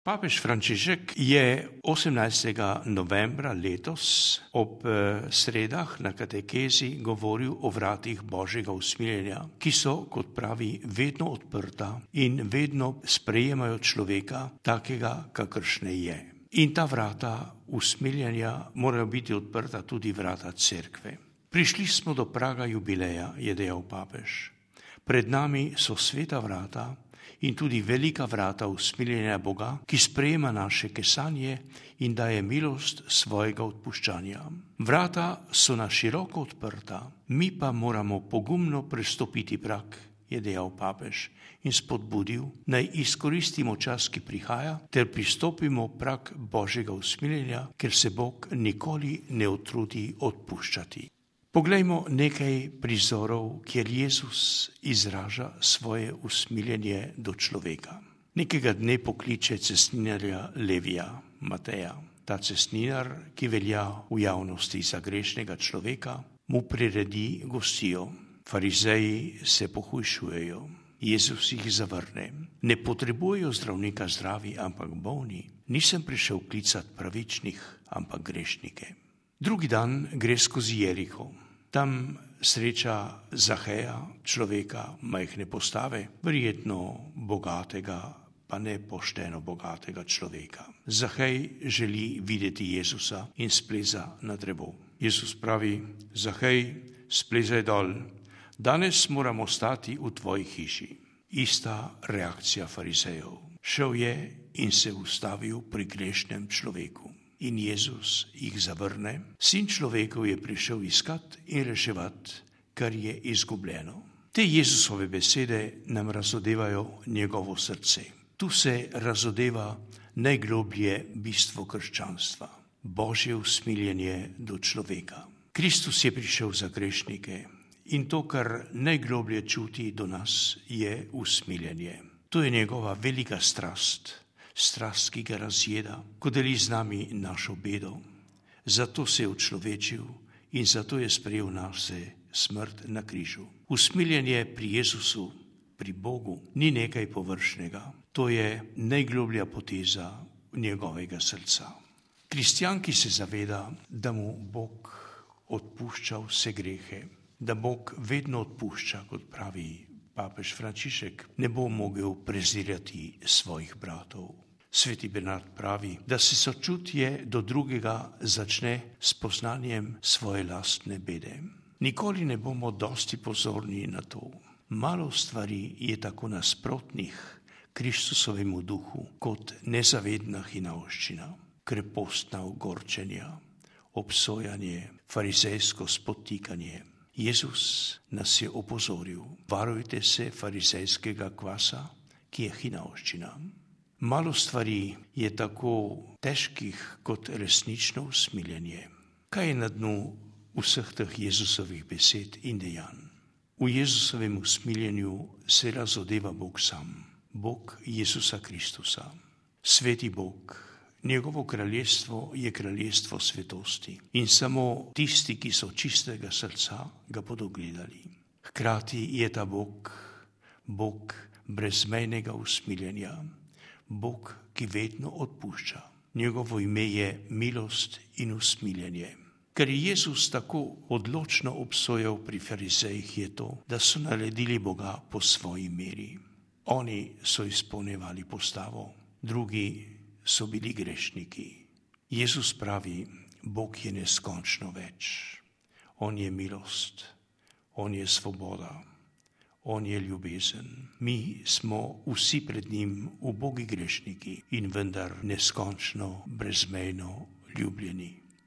Papež Frančišek je 18. novembra letos ob sredah na katekezi govoril o vratih Božjega usmiljenja, ki so, kot pravi, vedno odprta in vedno sprejemajo človeka takega, kakršne je. In ta vrata usmiljenja morajo biti odprta tudi vrata cerkve. Prišli smo do praga jubileja, je dejal papež. Pred nami so sveta vrata in tudi velika vrata usmiljenja Boga, ki sprejema naše kesanje in daje milost svojega odpuščanja. Vrata so na široko odprta, mi pa moramo pogumno prestopiti prag, je dejal papež in spodbudil, naj izkoristimo čas, ki prihaja, ter pristopimo prag Božjega usmiljenja, ker se Bog nikoli ne utrudi odpuščati. Poglejmo nekaj prizorov, kjer Jezus izraža svoje usmiljenje do človeka. Nekega dne pokliče cestninarja Levija, Mateja. Ta cestninar, ki velja v javnosti za grešnega človeka, mu priredi gostijo. Farizeji se pohujšujejo. Jezus jih zavrne. Ne potrebujejo zdravnika zdravi, ampak bolni. Nisem prišel klicati pravičnih, ampak grešnike. Drugi dan gre skozi Jeriho. Tam sreča Zaheja, človeka majhne postave, verjetno bogatega, pa ne pošteno bogatega človeka. Zahej želi videti Jezusa in spleza na drevo. Jezus pravi: Zahej, splezaj dol, danes moramo stati v tvoji hiši. Ista reakcija farizejev. Šel je in se ustavil pri grešnem človeku. In Jezus jih zavrne. Sin človekov je prišel iskat in reševat, kar je izgubljeno. Te Jezusove besede nam razodevajo njegovo srce. Tu se razodeva najgloblje bistvo krščanstva. Božje usmiljenje do človeka. Kristus je prišel za grešnike in to, kar najgloblje čuti do nas, je usmiljenje. To je njegova velika strast. Strast, ki ga razjeda, ko deli z nami našo bedo. Zato se je učlovečil in zato je sprejel nase smrt na križu. Usmiljenje pri Jezusu, pri Bogu, ni nekaj površnega. To je najgloblja poteza njegovega srca. Kristjan, ki se zaveda, da mu Bog odpušča vse grehe, da Bog vedno odpušča, kot pravi papež Frančišek, ne bo mogel prezirati svojih bratov. Sveti Bernard pravi, da se sočutje do drugega začne s poznanjem svoje lastne bede. Nikoli ne bomo dosti pozorni na to. Malo stvari je tako nasprotnih Kristusovemu duhu kot nezavedna hinavščina, krepostna ogorčenja, obsojanje, farizejsko spotikanje. Jezus nas je opozoril: varujte se farizejskega kvasa, ki je hinavščina. Malo stvari je tako težkih kot resnično usmiljenje. Kaj je na dnu vseh teh Jezusovih besed in dejanj? V Jezusovem usmiljenju se razodeva Bog sam, Bog Jezusa Kristusa. Sveti Bog, njegovo kraljestvo je kraljestvo svetosti in samo tisti, ki so čistega srca, ga bodo gledali. Hkrati je ta Bog, Bog brezmejnega usmiljenja, Bog, ki vedno odpušča. Njegovo ime je milost in usmiljenje. Ker je Jezus tako odločno obsojal pri farizejih, je to, da so naredili Boga po svoji meri. Oni so izpolnjevali postavo, drugi so bili grešniki. Jezus pravi: Bog je neskončno več. On je milost, on je svoboda, on je ljubezen. Mi smo vsi pred njim ubogi grešniki in vendar neskončno, brezmejno ljubljeni.